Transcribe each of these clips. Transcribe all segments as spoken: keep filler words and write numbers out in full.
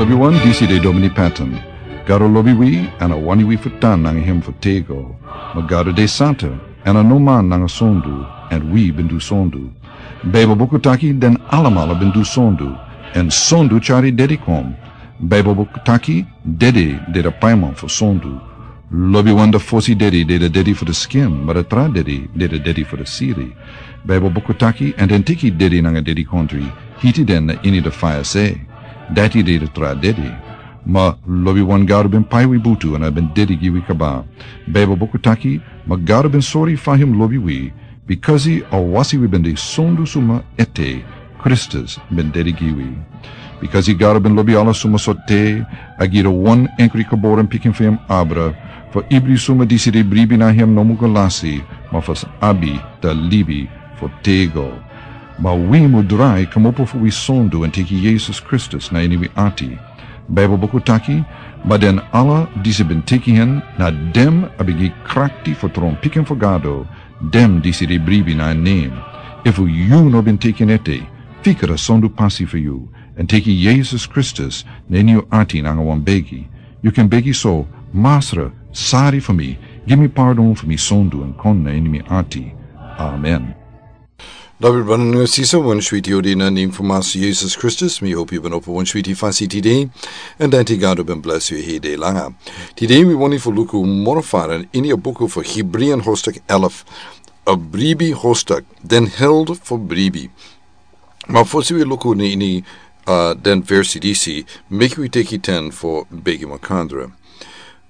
Wi wan disi de Domini Patton. Gado lobi wi, èn a wani wi fu tan nanga hem fu tego. Ma Gado de santa, èn a no man nanga sondu, èn wi ben du sondu. Baibel buku taki den alamala ben du sondu, èn sondu tyari dedi kon. Baibel buku taki dedi de de paiman fu sondu. Lobiwan de fosi dedi de de dedi fu de skin, ma de tra dedi de de dedi fu de siri. Baibel buku taki, èn den teki dedi nanga dedikontri, hiti den na ini de faya se. Dati de de tra dedi. Ma lobiwan Gado ben pai wi butu èn a ben dedi gi wi kaba. Baibel buku taki, ma Gado ben sori fa hem lobi wi, bikasi a wasi wi ben de sondu suma ete, Kristus ben dedi gi wi. Bikasi Gado ben lobi ala suma so te, a gi de wan enkri geboren pikin fu hem abra, fu ibri suma disi de bribi na hem no mu go lasi, ma fu abi de libi fu tego. Ma wi mu drai kmopo fu wi sondu èn teki Yesus Kristus na ini wi ati. Baibel buku taki, ma den ala disi ben teki hen, na dem a ben gi krakti fu tron pikin fu Gado, dem disi de bribi na en nen. Efu yu no ben teki en ete, fika a sondu pasi fu yu, èn teki Yesus Kristus na ini yu ati nanga wan begi. Yu kan begi so, Masra, sari fu mi, gi mi pardon fu mi sondu èn kon na ini mi ati. Amen. Lobi brada nanga sisa, wan switi odi na nen fu Masra Yesus Kristus, mi hopi yu ben opo wan switi fasi tide, èn dati Gado ben blesi yu hede langa. Tide wi wani fu luku moro fara ini a buku fu Hebrian hostak elf, a bribi hostak, den held fu bribi. Ma fosi wi luku ini, ini, uh, den versi disi, meki wi teki ten fu begi makandra.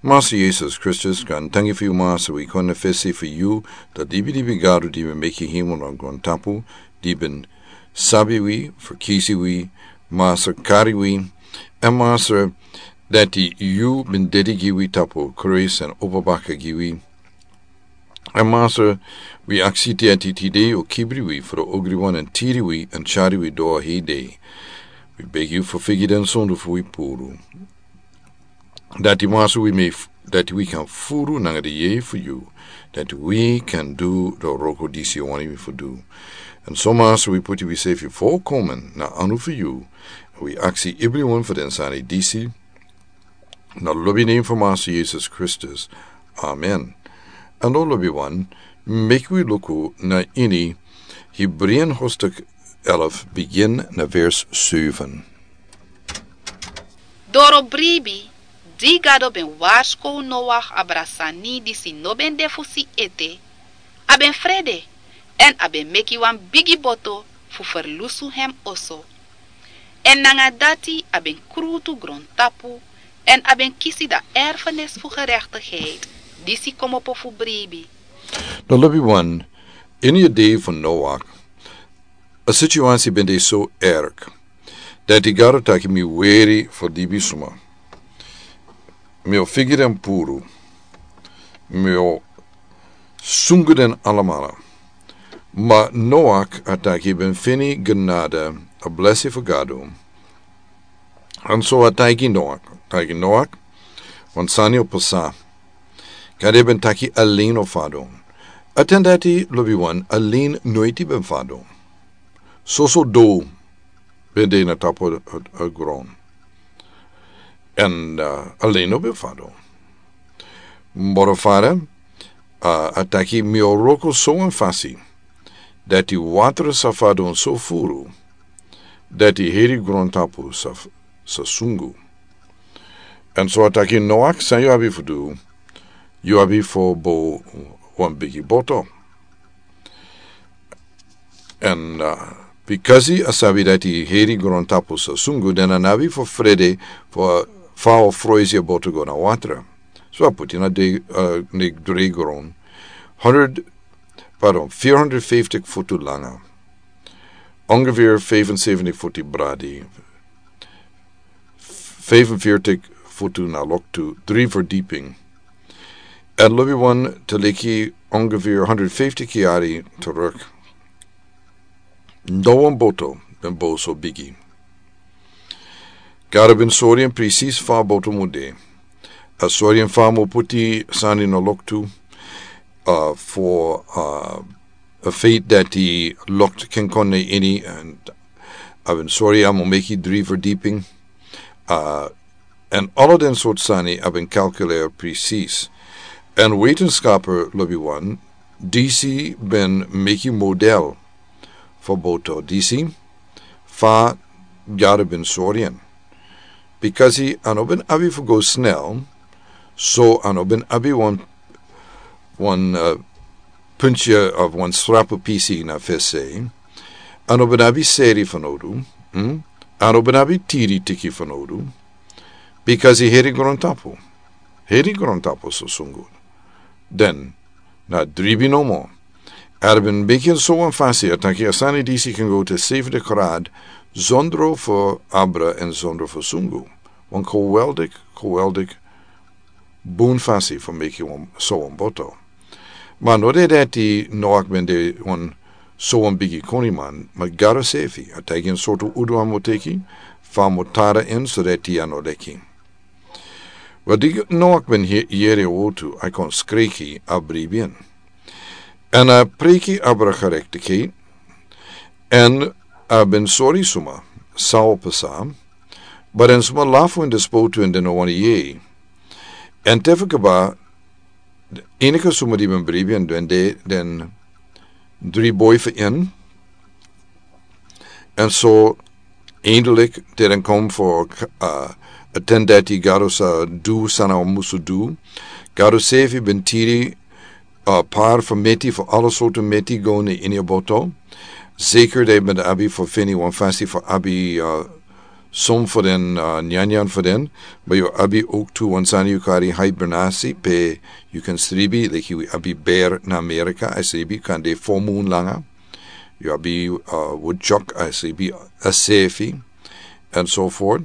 Masra Yesus Kristus, grantangi fu yu Masra, wi kon na fesi fu yu, de dibi dibi Gado di ben meki hemel nanga grontapu, di ben sabi wi, ferkisi wi, Masra kari wi, èn Masra dati yu ben dedi gi wi tapu Kris èn opo baka gi wi. Èn Masra, wi aksi dati tide yu o kibri wi fu de ogriwan èn tiri wi èn tyari wi doro hede. Wi begi yu fu figi den sondu fu wi puru. Dati Masra wi mei f-, dati wi kan furu nanga de yei fu yu, dati wi kan du de wroko disi yu wani wi fu du. Èn so Masra wi puti wi sefi volkomen na anu fu yu, wi aksi ibriwan fu den sani disi, na lobi nen fu Masra Yesus Kristus. Amen. Èn lobiwan, meki wi luku na ini Hebrian hostak elf bigin na vers seven. Doro bribi, di Gado ben warskow Noach abra sani disi no ben de fu si ete, a ben frede, èn a ben meki wan bigi boto fu ferlusu hem oso. Èn nanga dati a ben krutu grontapu, èn a ben kisi de erfenis fu gerechtigheid, disi kmopo fu bribi. Dan lobiwan, ini a dei fu Noach, a situasi ben de so erg, dati Gado taki mi weri fu libisma. Mi o figi den puru. Mi o sungu den alamala. Ma Noach a taki ben feni genade, a blesi fu Gado. Èn so a taigi Noach, taigi Noach, wan sani o pasa. Gado ben taki alen o fadon. A ten dati lobiwan alen noiti ben fadon. Soso dou ben de na tapu a, a, a gron. Èn, uh, alen no ben fadon. Moro fara, uh, a taki mi o wroko so wan fasi, dati watra sa fadon so furu, dati heri grontapu sa f-, sa sungu. Èn so a taki Noach, san yu abi fu du, yu abi fu bow wan bigi boto. Èn, uh, bikasi a sabi dati heri grontapu sa sungu, dan a no abi fu frede fu, uh, fa a o froisi a boto go na watra. So a puti na de, uh, na dre gron. Honderd, pardon, fierhonderdvijftig futu langa. Ongeveer vijfenzeventig futu bradi. Vijfenveertig futu na loktu, drie verdieping. Èn lobiwan, te leki ongeveer honderdvijftig yari terug. No wan boto ben bow so bigi. Gado ben sori en presis fa a boto mu de. A sori en fa a mu puti sani na loktu, uh, fu, uh, a feit dati loktu ken kon na ini, èn a ben sori a mu meki dri verdieping. Uh, en ala den sortu sani a ben kalkuleri presis. En wetenskaper lobi wan, disi ben meki model fo boto disi, fa gado ben sori en. Bikasi a no ben abi fo go snel, so a no ben abi wan wan uh, punche of wan srapu pisi na fese. A no ben abi seri fanodu. Hmm? A no ben abi tiri tiki fanodu. Bikasi heri grontapu. Heri grontapu so sungu. Den na dribi nomo. A ben biki en so wan fasi a taki a sani disi kan go te sefde krad, zondro fo abra en zondro fo sungu. Wan koweldik koweldik bun fasi fo meki wan so wan boto. Ma no de dati noak ben de wan so wan bigi koniman ma gado sefi a taki en sortu udu a mo teki, fa mo tara en so dati a no leki. Wel di noak ben yeri a wotu a kon skreki a bribi en. En a preki abra gerektikei. En a ben sori suma, sao pasa. But en suma lafu in de spotu en den no wani yei. En tefika ba enike suma di ben bribi en den de den dri boi fu en. En so eindelik te den kom fu uh, a ten dati gado sa du sana musu du. Gado sefi ben tiri uh, par fu meti fu ala sortu meti go na ini a boto. Zeker de ben abi fu fini wan fasi fu abi uh, som fu den uh, nyanyan fu den. But yu abi ook tu wan sani yu kari hibernasi pe yu kan sribi leki wi abi ber na amerika a sribi kan de fomun langa. Yu abi uh, woodchuck a sribi a sefi. And so forth.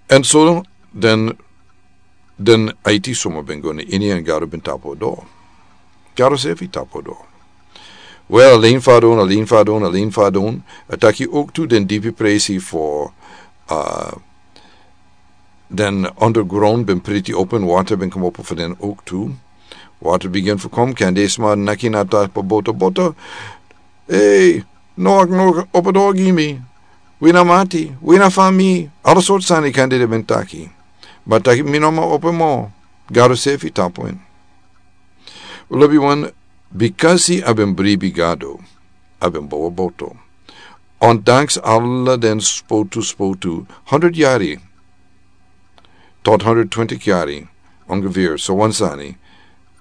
And so den den aiti suma ben go na ini en gado ben tapo do. Gado sefi tapo do. Wel a lin fadon a lin fadon a lin fadon. A taki ook tu den dipi presi for uh, den underground ben priti open water ben kom opo for den ook tu. Water begin for kom kan de sma naki na tapo boto boto. Ei, no ak no opo do gi mi. Wina mati wina fami ala sortu sani kan de ben taki. But taki mi no ma opo mo. Gado sefi tapo en. Lobi wan, bikasi a ben bribi gado a ben bowa boto. Ondanks ala den spotu spotu hundred yari tot hundred twenty yari ongeveer so wan sani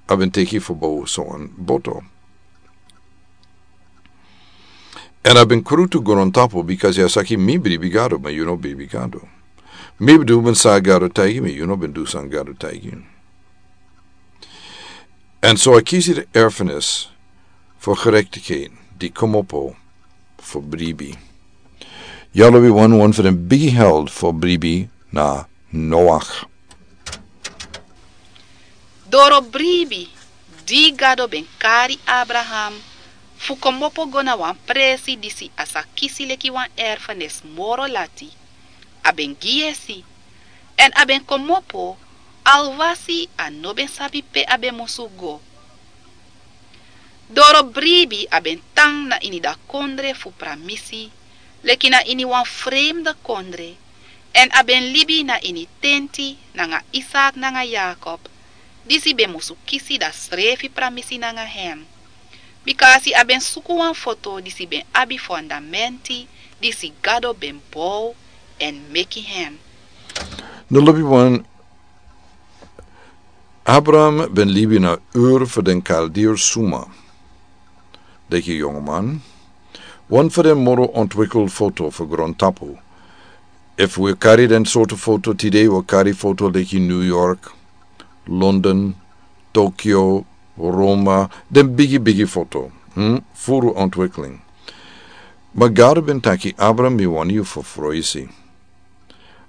a ben teki fu bowa so wan boto. En a ben krutu grontapu bikasi a saki mi bribi gado ma yu no bribi gado. Mi ben du ben sa gado taigi mi yu no ben du san gado taigi. En so a kisi de erfenis fu gerektikheid di komopo fu bribi. Yalo wi wan wan fu den bigi held fu bribi na noach. Doro bribi di gado ben kari abraham fu komopo go na wan presi disi a sa kisi leki wan erfenis moro lati. A ben gi yesi. Èn a ben komopo alwasi a no ben sabi pe a ben musu go. Doro bribi a ben tan na ini dati kondre fu pramisi leki na ini wan fremde kondre. Èn a ben libi na ini tenti nanga isak nanga yakob disi ben musu kisi dati srefi pramisi nanga hen. Bika a si a ben suku wan foto disi ben abi fondamenti disi gado ben bow èn meki hen. No lobi wan. Abraham ben libi na ur fu den kaldir suma. Deki yongoman. Wan fu den moro ontwikkel foto fu grontapu. Efu wi kari den sortu foto tide wi kari foto deki new york, london, tokyo, roma, den bigi bigi foto. Furu ontwikkeling. Ma gado ben taki abraham mi wani yu fu froisi.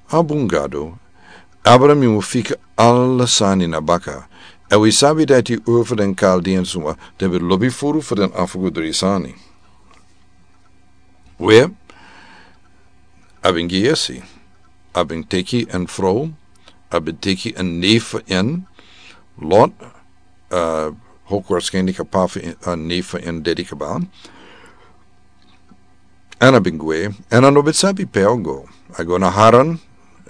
Abun gado. Abraham yu mu fika ala sani na baka. Èn wi sabi dati ur fu den kaldian suma den ben lobi furu fu den afugu dri sani. We a ben gi yesi. A ben teki en frow. A ben teki en neef fu en. Lot. Hok warskenlik a pa fu en neef fu en dedi kaba. Èn a ben gwe. Èn a no ben sabi pe a go. A go na haran.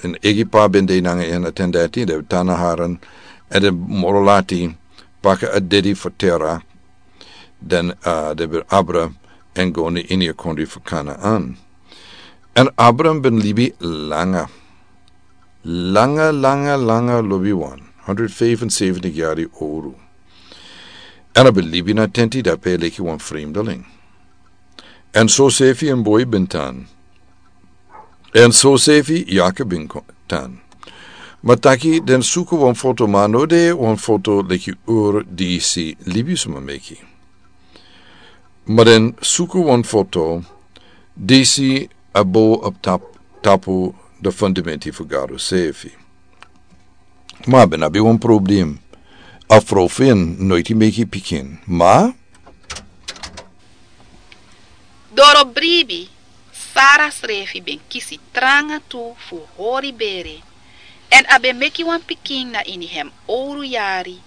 en eigi pa ben de nanga en a ten dati, den ben tan na Haran, èn den moro lati paka a dede fu tera, den, a, den ben abra èn go na ini a kondre fu Kanaan. Èn Abram ben libi langa, langa, langa, langa lobiwan, hondro fifenseventik yari owru. Èn a ben libi na tenti dape leki wan fremdeling. Èn so sefi en boi ben tan. Èn so sefi Yakob ben ko-, tan. Ma taki den suku wan foto, ma no de wan foto leki Ur disi libisma meki. Ma den suku wan foto disi a bo op tap-, tapu de fundamenti fu Gado sefi. Ma ben abi wan problem. A frow fu en noiti meki pikin. Ma doro bribi, Sara srefi ben kisi tranga tu fu hori bere. Èn a ben meki wan pikin na ini hem owru yari,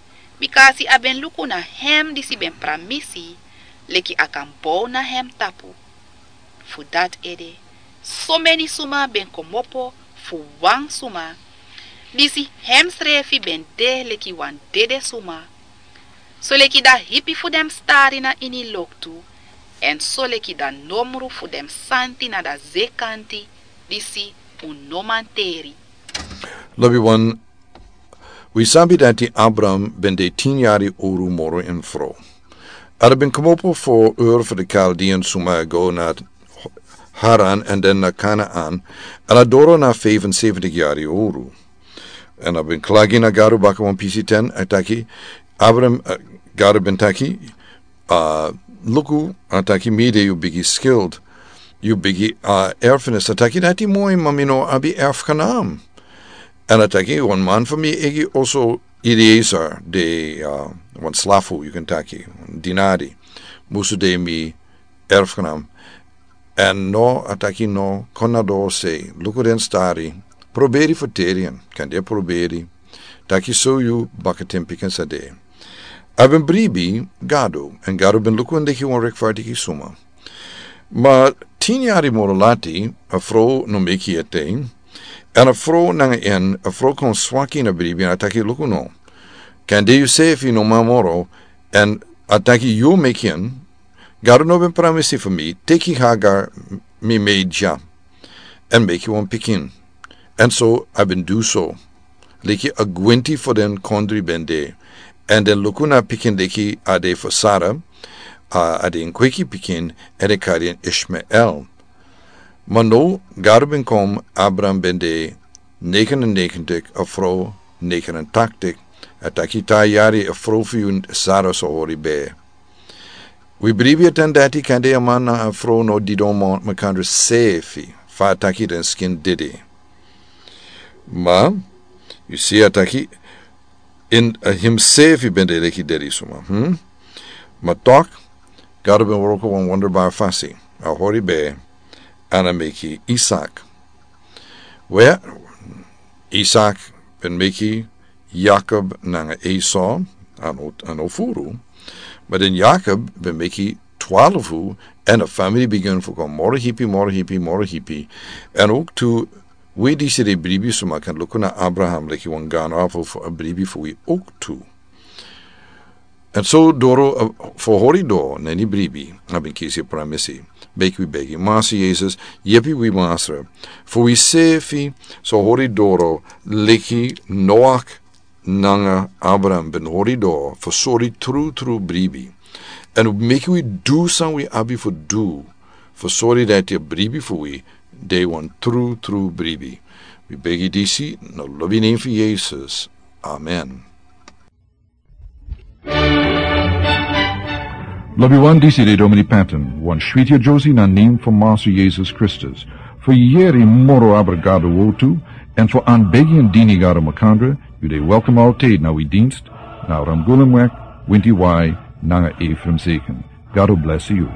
bikasi a ben luku na hem disi ben pramisi, leki a kan bow na hem tapu. Fu dati ede, someni suma ben komopo fu wan suma, disi hem srefi ben de leki wan dede suma. Soleki da hipi fu den stari na ini loktu, èn soleki da nomru fu den santi na da zekanti, disi un no man teri. Lobiwan, wi sabi dati Abram ben de tin yari owru moro en frow. A ben komopo fu Ur fu de Kaldian suma go na Haran èn den na Kanaan, èn a doro na fifenseventik yari owru. Èn a ben klagi na Gado baka wan pisi ten, a taki, Abram, a, Gado ben taki, a, luku, a taki mi de yu bigi skild, yu bigi, a, erfenis. A taki dati moi, ma mi no abi erfgenaam. Èn a taki wan man fu mi eigi oso Eliezer de, a, wan slafu, yu kan taki, dinari. Musu de mi erfgenaam. Èn no, a taki no, kon na doro sei, luku den stari, proberi fu teri en, kande proberi, taki so yu bakaten pikin sa de. A ben bribi Gado, èn Gado ben luku en leki wan rechtvaardige suma. Ma tin yari moro lati, a frow no meki ete, èn a frow nanga en, a frow kon swaki na bribi, èn a taki luku no. Kande yu sefi no man moro, èn a taki yu meki en, Gado no ben pramisi fu mi, teki Hagar mi maid dya, èn meki wan pikin. Èn so a ben du so. Leki a gwenti fu den kondre ben de. Èn den luku na pikin leki a de fu Sara, a, a de en kweki pikin, èn den kari en Ishmael. Ma no, Gado ben kon, Abram ben de negenennegentig, a frow negenentachtig, a taki ta yari a frow fu yu Sara sa hori bere. Wi bribi a ten dati kande a man nanga a frow no didon makandra sefi, fa a taki den skin dede. Ma, yu si a taki, in, a, himsefi ben de leki dede suma, hm? Ma tok, Gado ben wroko wan wonderbar fasi, a hori bere, èn a meki Isak. We, Isak ben meki Yakob nanga Esau, a no, a no furu. Ma den Yakob ben meki twarfu, èn a famiri bigin fu kon moro hipi, moro hipi, moro hipi. Èn ook tu, wi disi de bribi suma kan luku na Abraham leki wan gan afu fu a bribi fu wi ook tu. Èn so doro, a, fu hori doro na ini bribi, a ben kisi pramisi. Meki wi begi, Masra Yesus, yepi wi Masra. Fu wi sefi, so hori doro, leki Noach nanga Abraham ben hori doro, fu sori tru tru bribi. Èn meki wi du san wi abi fu du, fu sori dati a bribi fu wi, de wan tru tru bribi. Wi begi disi, na lobi nen fu Yesus. Amen. Lobiwan, disi de Domini Patton, wan switi a Josie na nen fu Masra Yesus Kristus. Fu yeri moro abra Gado wortu, èn fu an begi èn dini Gado makandra, yu de welkom altijd na wi dienst, na Ramgulumweg, winti wai, nanga Ephraim Zeken. Gado bless yu.